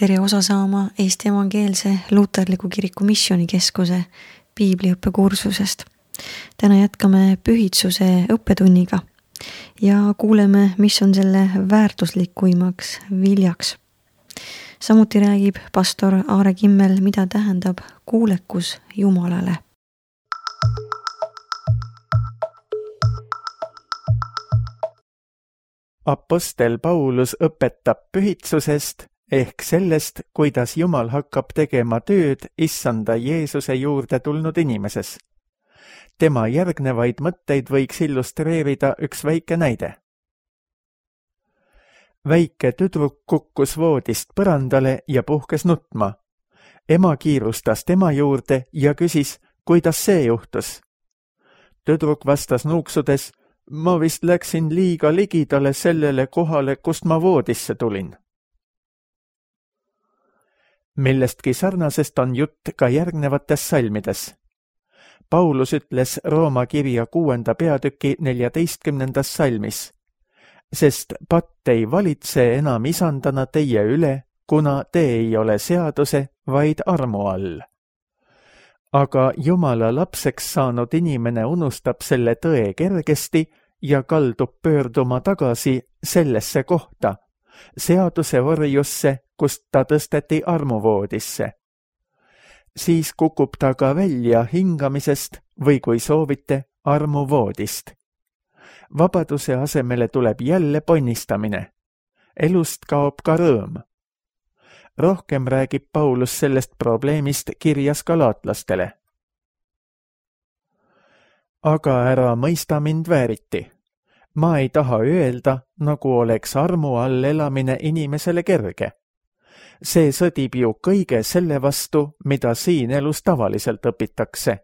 tere osa saama Eesti Evangeelse Luterliku Kiriku Missioonikeskuse piibliõppekursusest. Täna jätkame pühitsuse õppetunniga ja kuuleme, mis on selle väärtuslikuimaks viljaks. Samuti räägib pastor Aare Kimmel, mida tähendab kuulekus Jumalale. Apostel Paulus õpetab pühitsusest ehk sellest, kuidas Jumal hakkab tegema tööd Issanda Jeesuse juurde tulnud inimeses. Tema järgnevaid mõtteid võiks illustreerida üks väike näide. Väike tüdruk kukkus voodist põrandale ja puhkes nutma. Ema kiirustas tema juurde ja küsis, kuidas see juhtus. Tüdruk vastas nuuksudes, ma vist läksin liiga ligidale sellele kohale, kust ma voodisse tulin. Millestki sarnasest on jutt ka järgnevates salmides. Paulus ütles Rooma kirja 6. peatüki 14. salmis, sest patt ei valitse enam isandana teie üle, kuna te ei ole seaduse, vaid armu all. Aga Jumala lapseks saanud inimene unustab selle tõe kergesti ja kaldub pöörduma tagasi sellesse kohta, seaduse orjusse, kust ta tõsteti armuvoodisse. Siis kukub ta ka välja hingamisest või kui soovite, armuvoodist. Vabaduse asemele tuleb jälle ponnistamine. Elust kaob ka rõõm. Rohkem räägib Paulus sellest probleemist kirjas galaatlastele. Aga ära mõista mind vääriti. Ma ei taha öelda, nagu oleks armu all elamine inimesele kerge. See sõdib ju kõige selle vastu, mida siin elus tavaliselt õpitakse.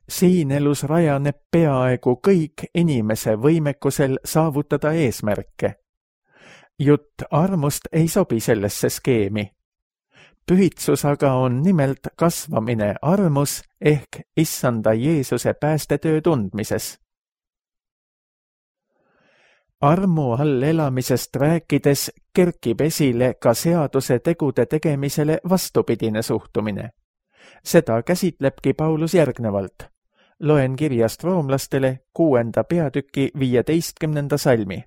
Siin elus rajaneb peaaegu kõik inimese võimekusel saavutada eesmärke. Jutt armust ei sobi sellesse skeemi. Pühitsus aga on nimelt kasvamine armus ehk Issanda Jeesuse päästetöö tundmises. Armu all elamisest rääkides kerkib esile ka seaduse tegude tegemisele vastupidine suhtumine. Seda käsitlebki Paulus järgnevalt. Loen kirjast roomlastele 6. peatüki 15. salmi.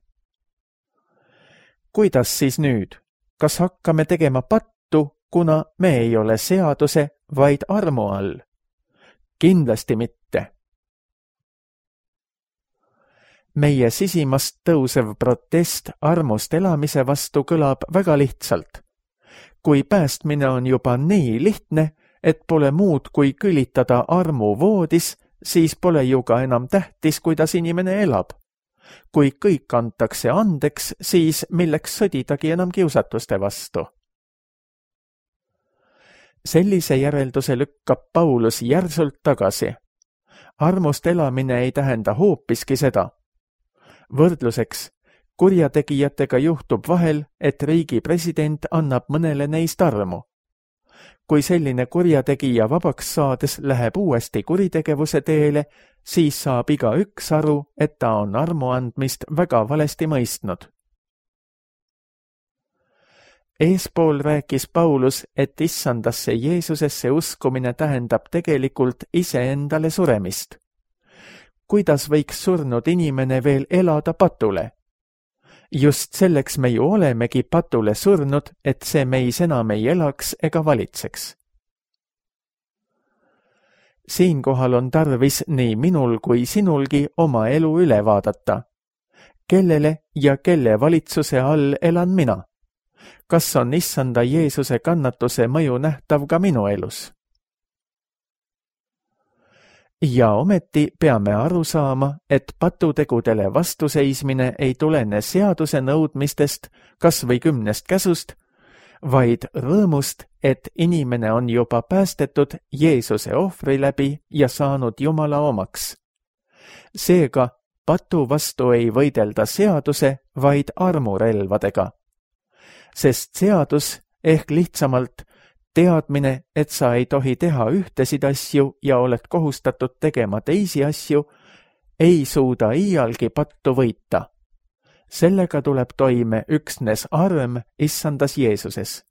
Kuidas siis nüüd? Kas hakkame tegema pattu, kuna me ei ole seaduse, vaid armu all? Kindlasti mitte. Meie sisimast tõusev protest armust elamise vastu kõlab väga lihtsalt. Kui päästmine on juba nii lihtne, et pole muud kui kõlitada armu voodis, siis pole ju ka enam tähtis, kuidas inimene elab. Kui kõik antakse andeks, siis milleks sõdidagi enam kiusatuste vastu. Sellise järelduse lükkab Paulus järsult tagasi. Armust elamine ei tähenda hoopiski seda. Võrdluseks, kurjategijatega juhtub vahel, et riigi president annab mõnele neist armu. Kui selline kurjategija vabaks saades läheb uuesti kuritegevuse teele, siis saab igaüks aru, et ta on armu andmist väga valesti mõistnud. Eespool rääkis Paulus, et Issandasse Jeesusesse uskumine tähendab tegelikult iseendale suremist. Kuidas võiks surnud inimene veel elada patule? Just selleks me ju olemegi patule surnud, et see meis enam ei elaks ega valitseks. Siinkohal on tarvis nii minul kui sinulgi oma elu üle vaadata. Kellele ja kelle valitsuse all elan mina? Kas on Issanda Jeesuse kannatuse mõju nähtav ka minu elus? Ja ometi peame aru saama, et patutegudele vastuseismine ei tulene seaduse nõudmistest, kas või 10 käsust, vaid rõõmust, et inimene on juba päästetud Jeesuse ohvri läbi ja saanud Jumala omaks. Seega patu vastu ei võidelda seaduse, vaid armurelvadega. Sest seadus ehk lihtsamalt teadmine, et sa ei tohi teha ühtesid asju ja oled kohustatud tegema teisi asju, ei suuda iialgi pattu võita. Sellega tuleb toime üksnes arm Issandas Jeesuses.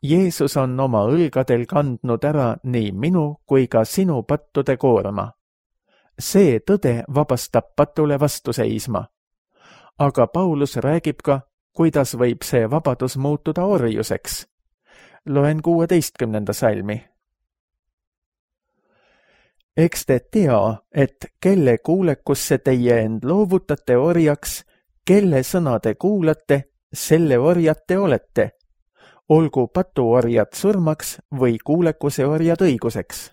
Jeesus on oma õlgadel kandnud ära nii minu kui ka sinu pattude koorma. See tõde vabastab patule vastu seisma. Aga Paulus räägib ka, kuidas võib see vabadus muutuda orjuseks. Loen 16. salmi. Eks te tea, et kelle kuulekusse teie end loovutate orjaks, kelle sõna te kuulate, selle orjad te olete. Olgu patuorjad surmaks või kuulekuse orjad õiguseks.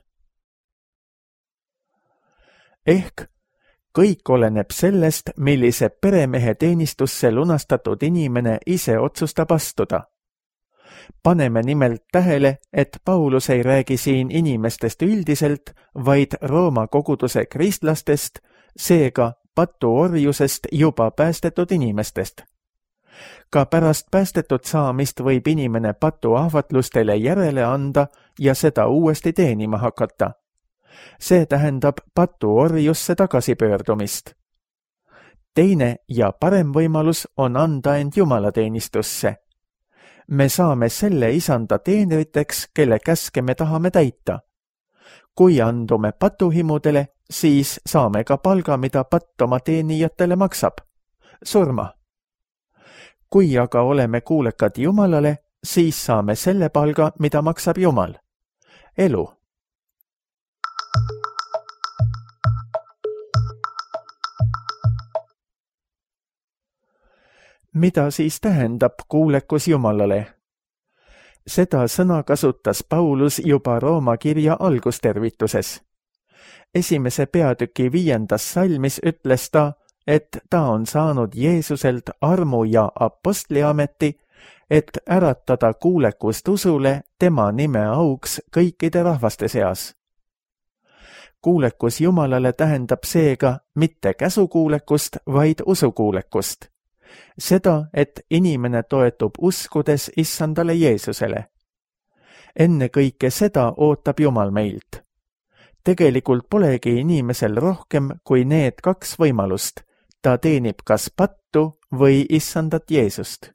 Ehk kõik oleneb sellest, millise peremehe teenistusse lunastatud inimene ise otsustab astuda. Paneme nimelt tähele, et Paulus ei räägi siin inimestest üldiselt, vaid Rooma koguduse kristlastest, seega patuorjusest juba päästetud inimestest. Ka pärast päästetud saamist võib inimene patuahvatlustele järele anda ja seda uuesti teenima hakata. See tähendab patuorjusse tagasipöördumist. Teine ja parem võimalus on anda end jumalateenistusse. Me saame selle isanda teenriteks, kelle käske me tahame täita. Kui andume patuhimudele, siis saame ka palga, mida patt oma teenijatele maksab. Surma. Kui aga oleme kuulekad Jumalale, siis saame selle palga, mida maksab Jumal. Elu. Mida siis tähendab kuulekus Jumalale? Seda sõna kasutas Paulus juba Rooma kirja algustervituses. 1. peatüki 5. salmis ütles ta, et ta on saanud Jeesuselt armu ja apostliameti, et äratada kuulekust usule tema nime auks kõikide rahvaste seas. Kuulekus Jumalale tähendab seega mitte käsukuulekust, vaid usukuulekust. Seda, et inimene toetub uskudes issandale Jeesusele. Enne kõike seda ootab Jumal meilt. Tegelikult polegi inimesel rohkem kui need 2 võimalust. Ta teenib kas pattu või issandat Jeesust.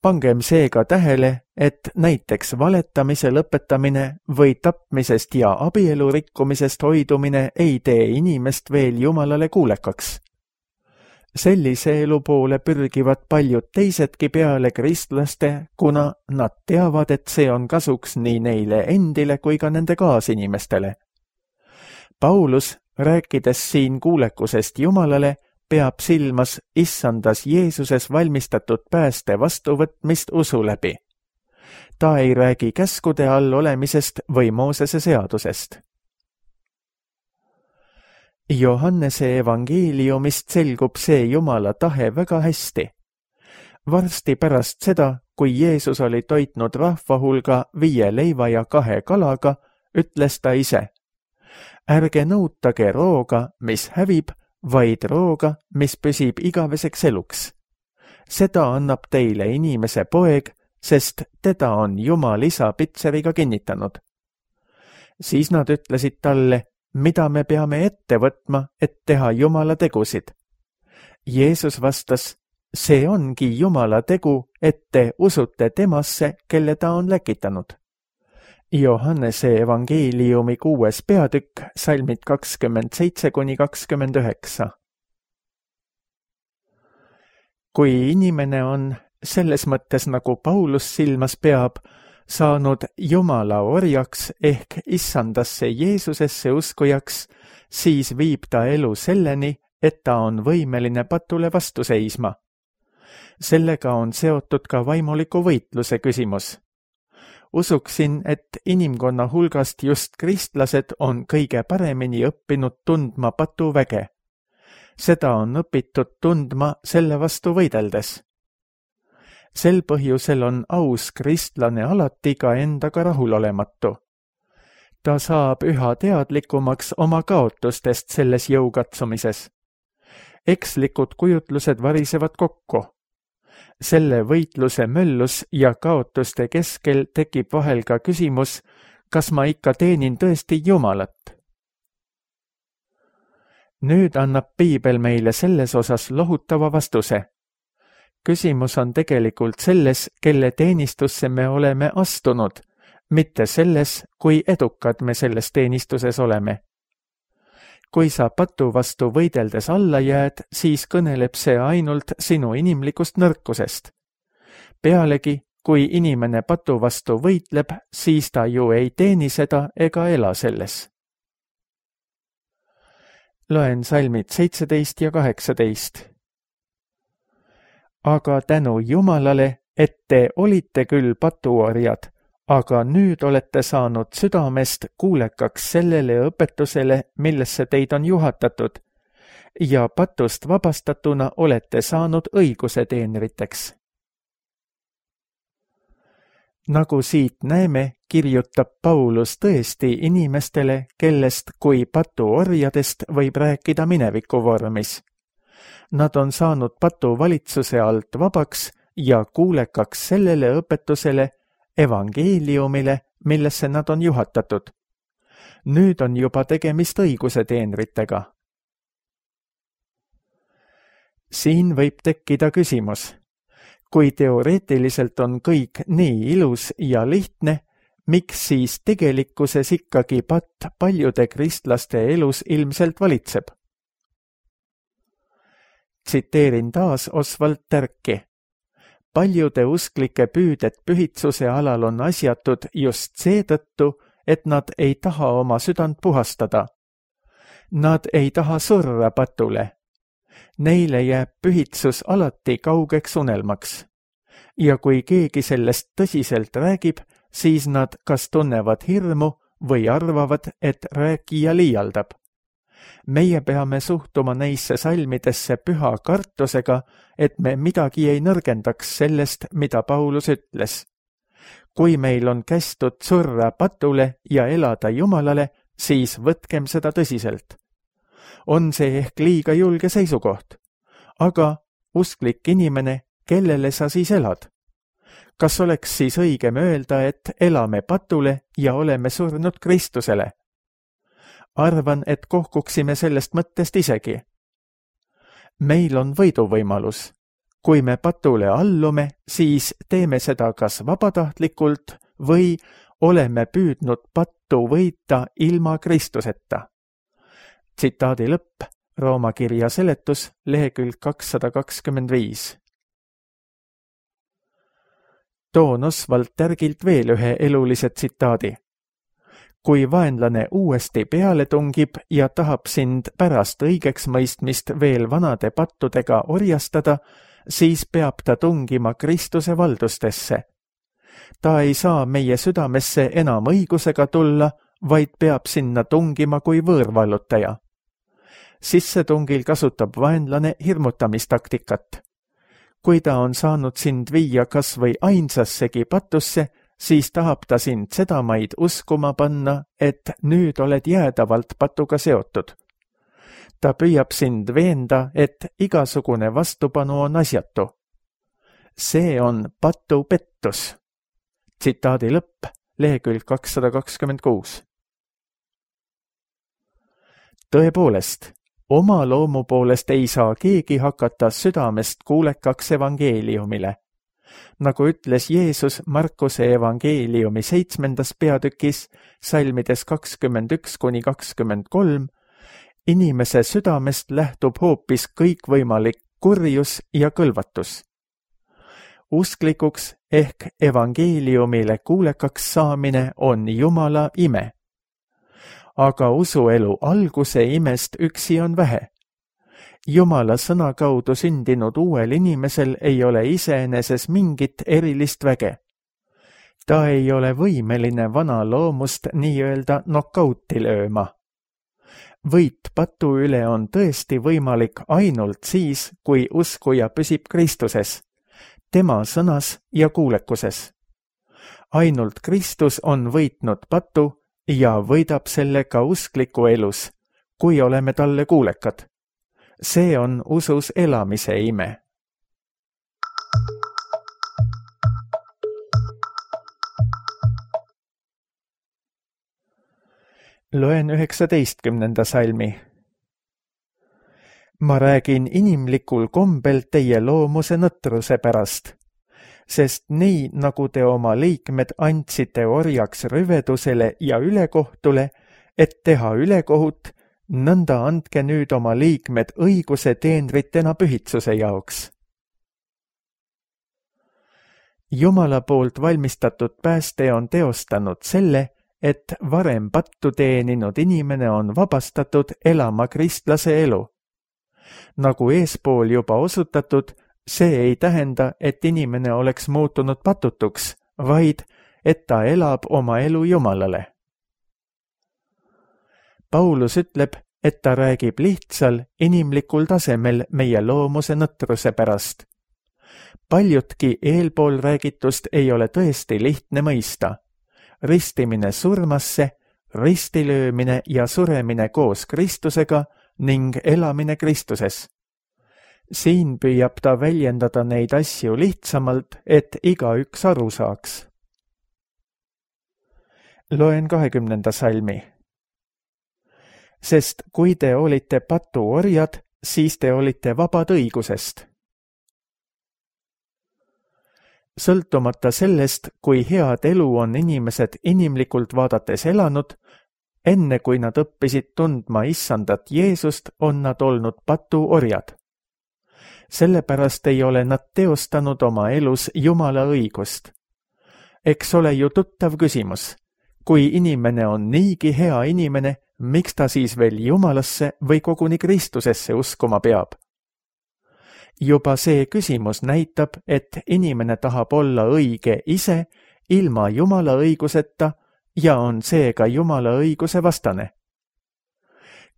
Pangem seega tähele, et näiteks valetamise lõpetamine või tapmisest ja abielu rikkumisest hoidumine ei tee inimest veel Jumalale kuulekaks. Sellise elu poole pürgivad paljud teisedki peale kristlaste, kuna nad teavad, et see on kasuks nii neile endile kui ka nende kaasinimestele. Paulus, rääkides siin kuulekusest Jumalale, peab silmas issandas Jeesuses valmistatud pääste vastuvõtmist usu läbi. Ta ei räägi käskude all olemisest või Moosese seadusest. Johannese evangeeliumist selgub see Jumala tahe väga hästi. Varsti pärast seda, kui Jeesus oli toitnud rahva hulga 5 leiva ja 2 kalaga, ütles ta ise: ärge nõutage rooga, mis hävib, vaid rooga, mis püsib igaveseks eluks. Seda annab teile inimese poeg, sest teda on Jumal isa pitseriga kinnitanud. Siis nad ütlesid talle: mida me peame ette võtma, et teha Jumala tegusid? Jeesus vastas: see ongi Jumala tegu, et te usute temasse, kelle ta on läkitanud. Johannese evangeeliumi 6. peatükk, salmid 27–29. Kui inimene on, selles mõttes nagu Paulus silmas peab, saanud Jumala orjaks ehk issandasse Jeesusesse uskujaks, siis viib ta elu selleni, et ta on võimeline patule vastu seisma. Sellega on seotud ka vaimuliku võitluse küsimus. Usuksin, et inimkonna hulgast just kristlased on kõige paremini õppinud tundma patuväge. Seda on õpitud tundma selle vastu võideldes. Sel põhjusel on aus kristlane alati ka endaga rahulolematu. Ta saab üha teadlikumaks oma kaotustest selles jõukatsumises. Ekslikud kujutlused varisevad kokku. Selle võitluse möllus ja kaotuste keskel tekib vahel ka küsimus, kas ma ikka teenin tõesti Jumalat. Nüüd annab Piibel meile selles osas lohutava vastuse. Küsimus on tegelikult selles, kelle teenistusse me oleme astunud, mitte selles, kui edukad me selles teenistuses oleme. Kui sa patu vastu võideldes alla jääd, siis kõneleb see ainult sinu inimlikust nõrkusest. Pealegi, kui inimene patu vastu võitleb, siis ta ju ei teeni seda ega ela selles. Loen salmid 17 ja 18. Aga tänu Jumalale, et te olite küll patuorjad, aga nüüd olete saanud südamest kuulekaks sellele õpetusele, millesse teid on juhatatud, ja patust vabastatuna olete saanud õiguse teenriteks. Nagu siit näeme, kirjutab Paulus tõesti inimestele, kellest kui patuorjadest võib rääkida mineviku vormis. Nad on saanud patuvalitsuse alt vabaks ja kuulekaks sellele õpetusele, evangeeliumile, millesse nad on juhatatud. Nüüd on juba tegemist õiguse teenritega. Siin võib tekkida küsimus. Kui teoreetiliselt on kõik nii ilus ja lihtne, miks siis tegelikkuses ikkagi patt paljude kristlaste elus ilmselt valitseb? Tsiteerin taas Oswald Tärki. Paljude usklike püüded pühitsuse alal on asjatud just seetõttu, et nad ei taha oma südant puhastada. Nad ei taha surra patule. Neile jääb pühitsus alati kaugeks unelmaks. Ja kui keegi sellest tõsiselt räägib, siis nad kas tunnevad hirmu või arvavad, et rääkija liialdab. Meie peame suhtuma neisse salmidesse püha kartusega, et me midagi ei nõrgendaks sellest, mida Paulus ütles. Kui meil on kästud surra patule ja elada Jumalale, siis võtkem seda tõsiselt. On see ehk liiga julge seisukoht. Aga usklik inimene, kellele sa siis elad? Kas oleks siis õigem öelda, et elame patule ja oleme surnud Kristusele? Arvan, et kohkuksime sellest mõttest isegi. Meil on võiduvõimalus. Kui me patule allume, siis teeme seda kas vabatahtlikult või oleme püüdnud pattu võita ilma Kristuseta. Tsitaadi lõpp, Rooma kirja seletus, lehekülg 225. Toon Oswald Tärgilt veel ühe elulise tsitaadi. Kui vaenlane uuesti peale tungib ja tahab sind pärast õigeks mõistmist veel vanade pattudega orjastada, siis peab ta tungima Kristuse valdustesse. Ta ei saa meie südamesse enam õigusega tulla, vaid peab sinna tungima kui võõrvallutaja. Sissetungil kasutab vaenlane hirmutamistaktikat. Kui ta on saanud sind viia kas või ainsassegi patusse, siis tahab ta sind sedamaid uskuma panna, et nüüd oled jäädavalt patuga seotud. Ta püüab sind veenda, et igasugune vastupanu on asjatu. See on patupettus. Tsitaadi lõpp, lehekülg 226. Tõepoolest, oma loomu poolest ei saa keegi hakata südamest kuulekaks evangeeliumile. Nagu ütles Jeesus Markuse evangeeliumi 7. peatükis, salmides 21–23, inimese südamest lähtub hoopis kõikvõimalik kurjus ja kõlvatus. Usklikuks ehk evangeeliumile kuulekaks saamine on Jumala ime. Aga usuelu alguse imest üksi on vähe. Jumala sõna kaudu sündinud uuel inimesel ei ole iseeneses mingit erilist väge. Ta ei ole võimeline vana loomust nii-öelda knockouti lööma. Võit patu üle on tõesti võimalik ainult siis, kui uskuja püsib Kristuses, tema sõnas ja kuulekuses. Ainult Kristus on võitnud patu ja võidab selle ka uskliku elus, kui oleme talle kuulekad. See on usus elamise ime. Loen 19. salmi. Ma räägin inimlikul kombel teie loomuse nõtruse pärast, sest nii, nagu te oma liikmed andsite orjaks rüvedusele ja ülekohtule, et teha ülekohut, nõnda andke nüüd oma liikmed õiguse teenritena pühitsuse jaoks. Jumala poolt valmistatud pääste on teostanud selle, et varem pattu teeninud inimene on vabastatud elama kristlase elu. Nagu eespool juba osutatud, see ei tähenda, et inimene oleks muutunud patutuks, vaid et ta elab oma elu Jumalale. Paulus ütleb, et ta räägib lihtsal, inimlikul tasemel meie loomuse nõtruse pärast. Paljutki eelpool räägitust ei ole tõesti lihtne mõista. Ristimine surmasse, ristilöömine ja suremine koos Kristusega ning elamine Kristuses. Siin püüab ta väljendada neid asju lihtsamalt, et igaüks aru saaks. Loen 20. salmi. Sest kui te olite patuorjad, siis te olite vabad õigusest. Sõltumata sellest, kui head elu on inimesed inimlikult vaadates elanud, enne kui nad õppisid tundma Issandat Jeesust, on nad olnud patuorjad. Sellepärast ei ole nad teostanud oma elus Jumala õigust. Eks ole ju tuttav küsimus. Kui inimene on niigi hea inimene, miks ta siis veel Jumalasse või koguni Kristusesse uskuma peab? Juba see küsimus näitab, et inimene tahab olla õige ise ilma Jumala õiguseta ja on seega Jumala õiguse vastane.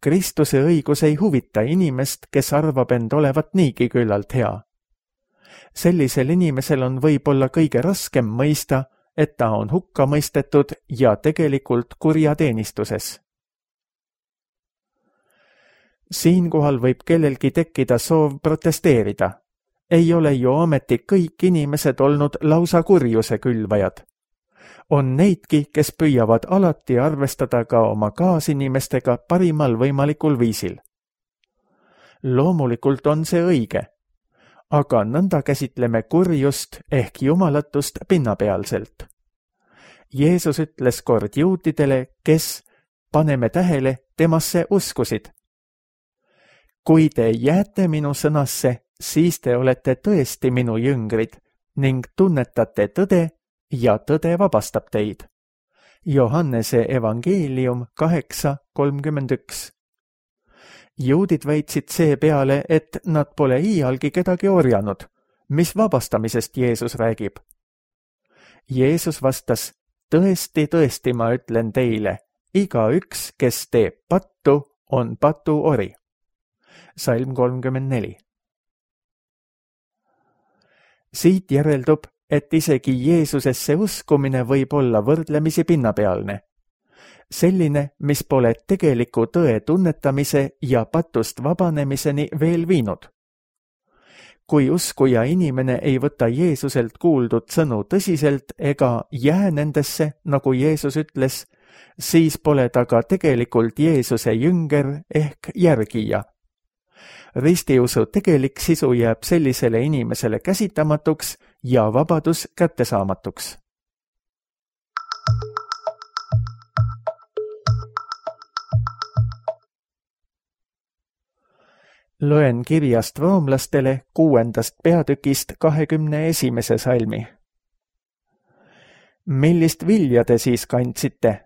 Kristuse õigus ei huvita inimest, kes arvab end olevat niigi küllalt hea. Sellisel inimesel on võib-olla kõige raskem mõista, et ta on hukka mõistetud ja tegelikult kurjateenistuses. Siinkohal võib kellelgi tekkida soov protesteerida. Ei ole ju ometi kõik inimesed olnud lausa kurjuse külvajad. On neidki, kes püüavad alati arvestada ka oma kaasinimestega parimal võimalikul viisil. Loomulikult on see õige, aga nõnda käsitleme kurjust ehk jumalatust pinnapealselt. Jeesus ütles kord juutidele, kes, paneme tähele, temasse uskusid. Kui te jääte minu sõnasse, siis te olete tõesti minu jüngrid ning tunnetate tõde ja tõde vabastab teid. Johannese evangeelium 8:31. Juudid väitsid seepeale, et nad pole iialgi kedagi orjanud. Mis vabastamisest Jeesus räägib? Jeesus vastas, tõesti, tõesti, ma ütlen teile, igaüks, kes teeb pattu, on patuori. Salm 34. Siit järeldub, et isegi Jeesusesse uskumine võib olla võrdlemisi pinnapealne. Selline, mis pole tegeliku tõe tunnetamise ja patust vabanemiseni veel viinud. Kui uskuja inimene ei võta Jeesuselt kuuldud sõnu tõsiselt ega jää nendesse, nagu Jeesus ütles, siis pole ta ka tegelikult Jeesuse jünger ehk järgija. Ristiusu tegelik sisu jääb sellisele inimesele käsitamatuks ja vabadus kättesaamatuks. Loen kirjast roomlastele 6. peatükist 21. salmi. Millist vilja te siis kandsite?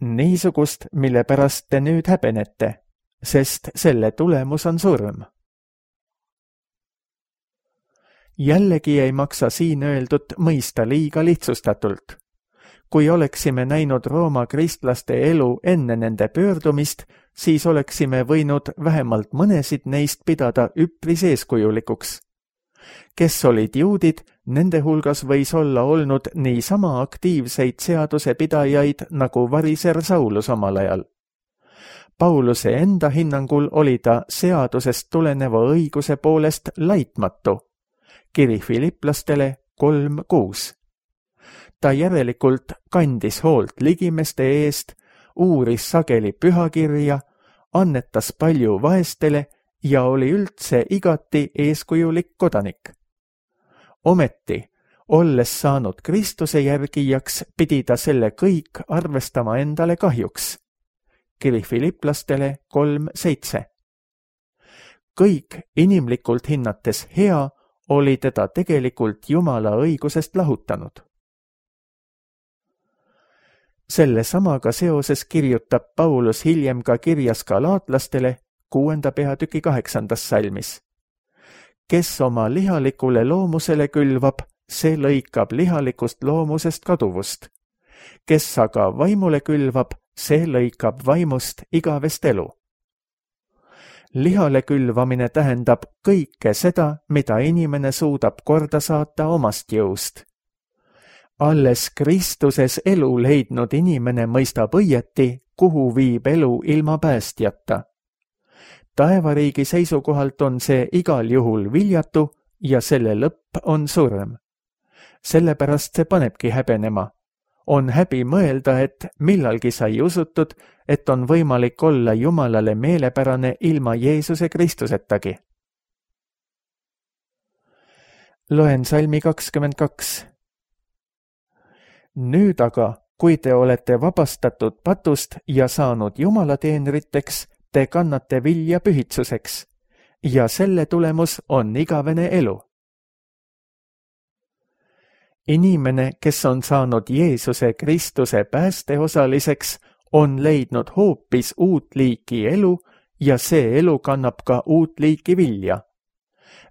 Niisugust, mille pärast te nüüd häbenete, sest selle tulemus on surm. Jällegi ei maksa siin öeldut mõista liiga lihtsustatult. Kui oleksime näinud Rooma kristlaste elu enne nende pöördumist, siis oleksime võinud vähemalt mõnesid neist pidada üpris eeskujulikuks. Kes olid juudid, nende hulgas võis olla olnud niisama aktiivseid seadusepidajaid nagu variser Saulus omal ajal. Pauluse enda hinnangul oli ta seadusest tuleneva õiguse poolest laitmatu. Kiri Filiplastele 3:6. Ta järelikult kandis hoolt ligimeste eest, uuris sageli pühakirja, annetas palju vaestele ja oli üldse igati eeskujulik kodanik. Ometi, olles saanud Kristuse järgijaks, pidi ta selle kõik arvestama endale kahjuks. Kiri Filiplastele 3:7. Kõik inimlikult hinnates hea oli teda tegelikult Jumala õigusest lahutanud. Selle samaga seoses kirjutab Paulus hiljem ka kirjas galaatlastele 6. peatüki 8. salmis. Kes oma lihalikule loomusele külvab, see lõikab lihalikust loomusest kaduvust. Kes aga vaimule külvab, see lõikab vaimust igavest elu. Lihale külvamine tähendab kõike seda, mida inimene suudab korda saata omast jõust. Alles Kristuses elu leidnud inimene mõistab õieti, kuhu viib elu ilma päästjata. Taevariigi seisukohalt on see igal juhul viljatu ja selle lõpp on surm. Sellepärast see panebki häbenema. On häbi mõelda, et millalgi sai usutud, et on võimalik olla Jumalale meelepärane ilma Jeesuse Kristusetagi. Loen salmi 22. Nüüd aga, kui te olete vabastatud patust ja saanud Jumala teenriteks, te kannate vilja pühitsuseks ja selle tulemus on igavene elu. Inimene, kes on saanud Jeesuse Kristuse päästeosaliseks, on leidnud hoopis uut liiki elu ja see elu kannab ka uut liiki vilja.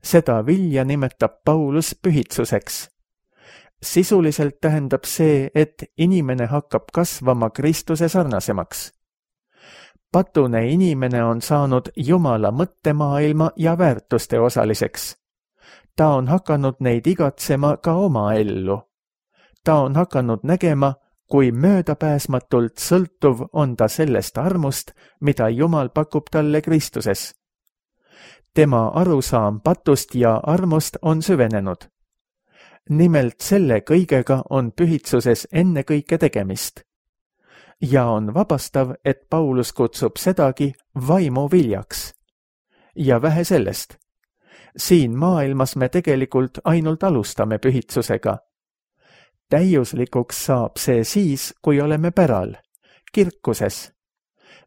Seda vilja nimetab Paulus pühitsuseks. Sisuliselt tähendab see, et inimene hakkab kasvama Kristuse sarnasemaks. Patune inimene on saanud Jumala mõttemaailma ja väärtuste osaliseks. Ta on hakanud neid igatsema ka oma ellu. Ta on hakanud nägema, kui möödapääsmatult sõltuv on ta sellest armust, mida Jumal pakub talle Kristuses. Tema arusaam patust ja armust on süvenenud. Nimelt selle kõigega on pühitsuses ennekõike tegemist. Ja on vabastav, et Paulus kutsub sedagi vaimu viljaks. Ja vähe sellest. Siin maailmas me tegelikult ainult alustame pühitsusega. Täiuslikuks saab see siis, kui oleme päral, kirkuses.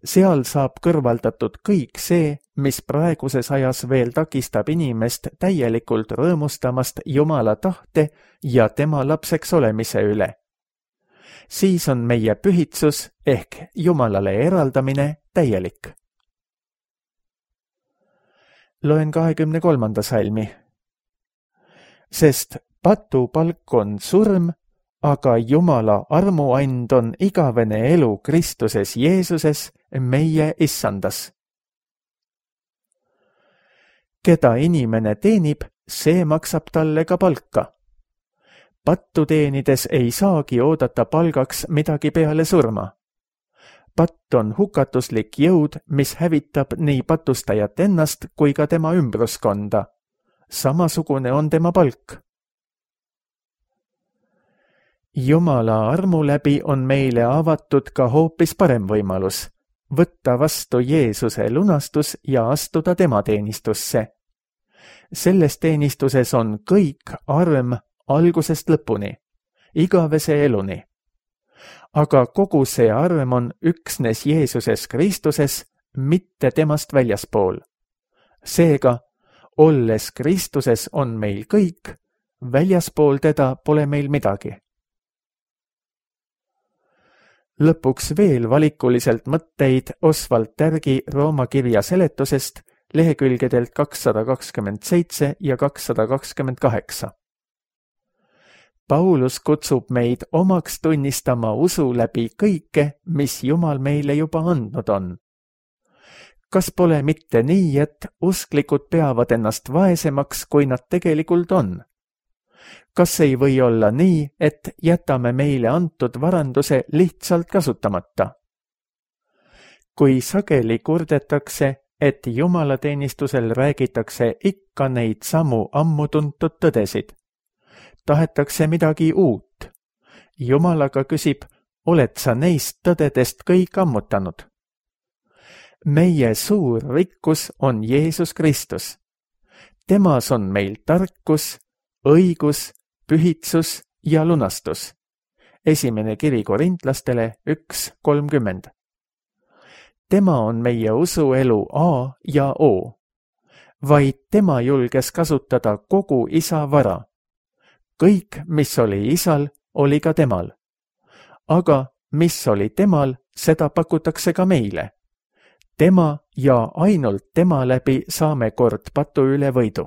Seal saab kõrvaldatud kõik see, mis praeguses ajas veel takistab inimest täielikult rõõmustamast Jumala tahte ja tema lapseks olemise üle. Siis on meie pühitsus ehk Jumalale eraldamine täielik. Loen 23. salmi. Sest patu palk on surm, aga Jumala armuand on igavene elu Kristuses Jeesuses, meie issandas. Keda inimene teenib, see maksab talle ka palka. Pattu teenides ei saagi oodata palgaks midagi peale surma. Patt on hukatuslik jõud, mis hävitab nii patustajat ennast kui ka tema ümbruskonda. Samasugune on tema palk. Jumala armu läbi on meile avatud ka hoopis parem võimalus, võtta vastu Jeesuse lunastus ja astuda tema teenistusse. Selles teenistuses on kõik arm algusest lõpuni, igavese eluni. Aga kogu see arm on üksnes Jeesuses Kristuses, mitte temast väljaspool. Seega, olles Kristuses on meil kõik, väljaspool teda pole meil midagi. Lõpuks veel valikuliselt mõtteid Oswald Tärgi Rooma kirja seletusest lehekülgedelt 227 ja 228. Paulus kutsub meid omaks tunnistama usu läbi kõike, mis Jumal meile juba andnud on. Kas pole mitte nii, et usklikud peavad ennast vaesemaks, kui nad tegelikult on? Kas ei või olla nii, et jätame meile antud varanduse lihtsalt kasutamata? Kui sageli kurdetakse, et jumalateenistusel räägitakse ikka neid samu ammu tuntud tõdesid. Tahetakse midagi uut. Jumal aga küsib, oled sa neist tõdedest kõik ammutanud? meie suur rikkus on Jeesus Kristus. Temas on meil tarkus, õigus, pühitsus ja lunastus. Esimene kiri Korintlastele 1:30. Tema on meie usuelu A ja O. Vaid tema julges kasutada kogu isa vara. Kõik, mis oli isal, oli ka temal. Aga mis oli temal, seda pakutakse ka meile. Tema ja ainult tema läbi saame kord patu üle võidu.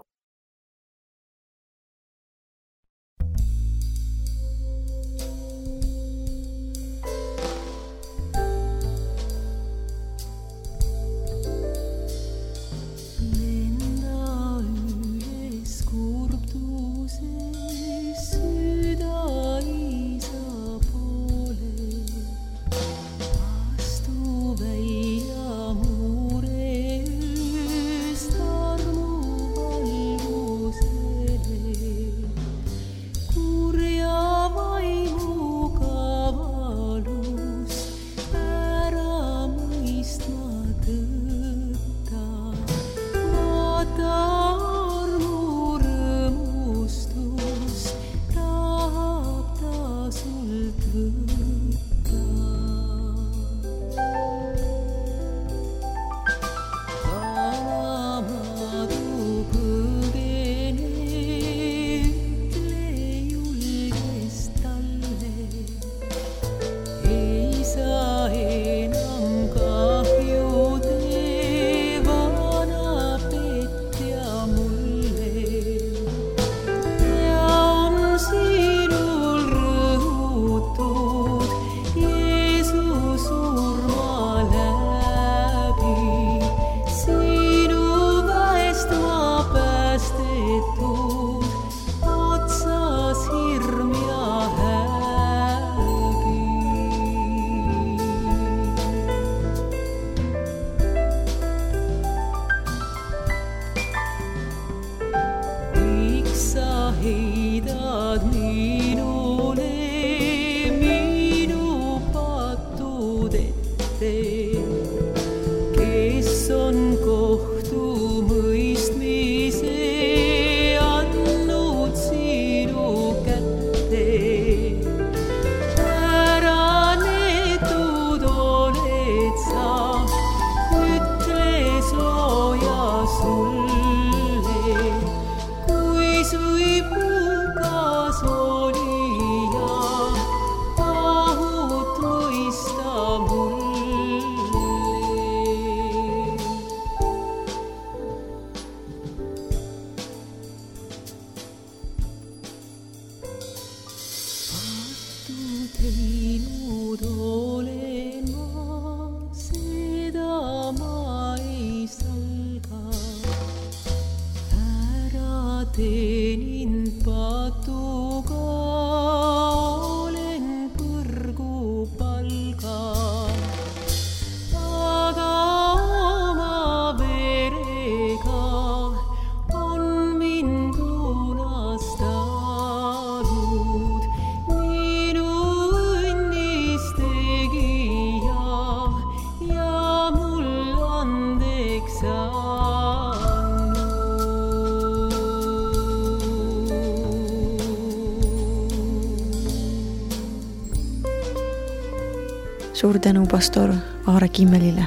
Suur tänu pastor Aare Kimmelile.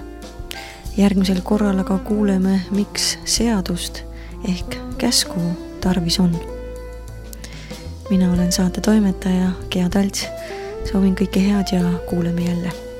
Järgmisel korral aga kuuleme, miks seadust ehk käsku tarvis on. Mina olen saate toimetaja Gea Talts. Soovin kõike head ja kuuleme jälle.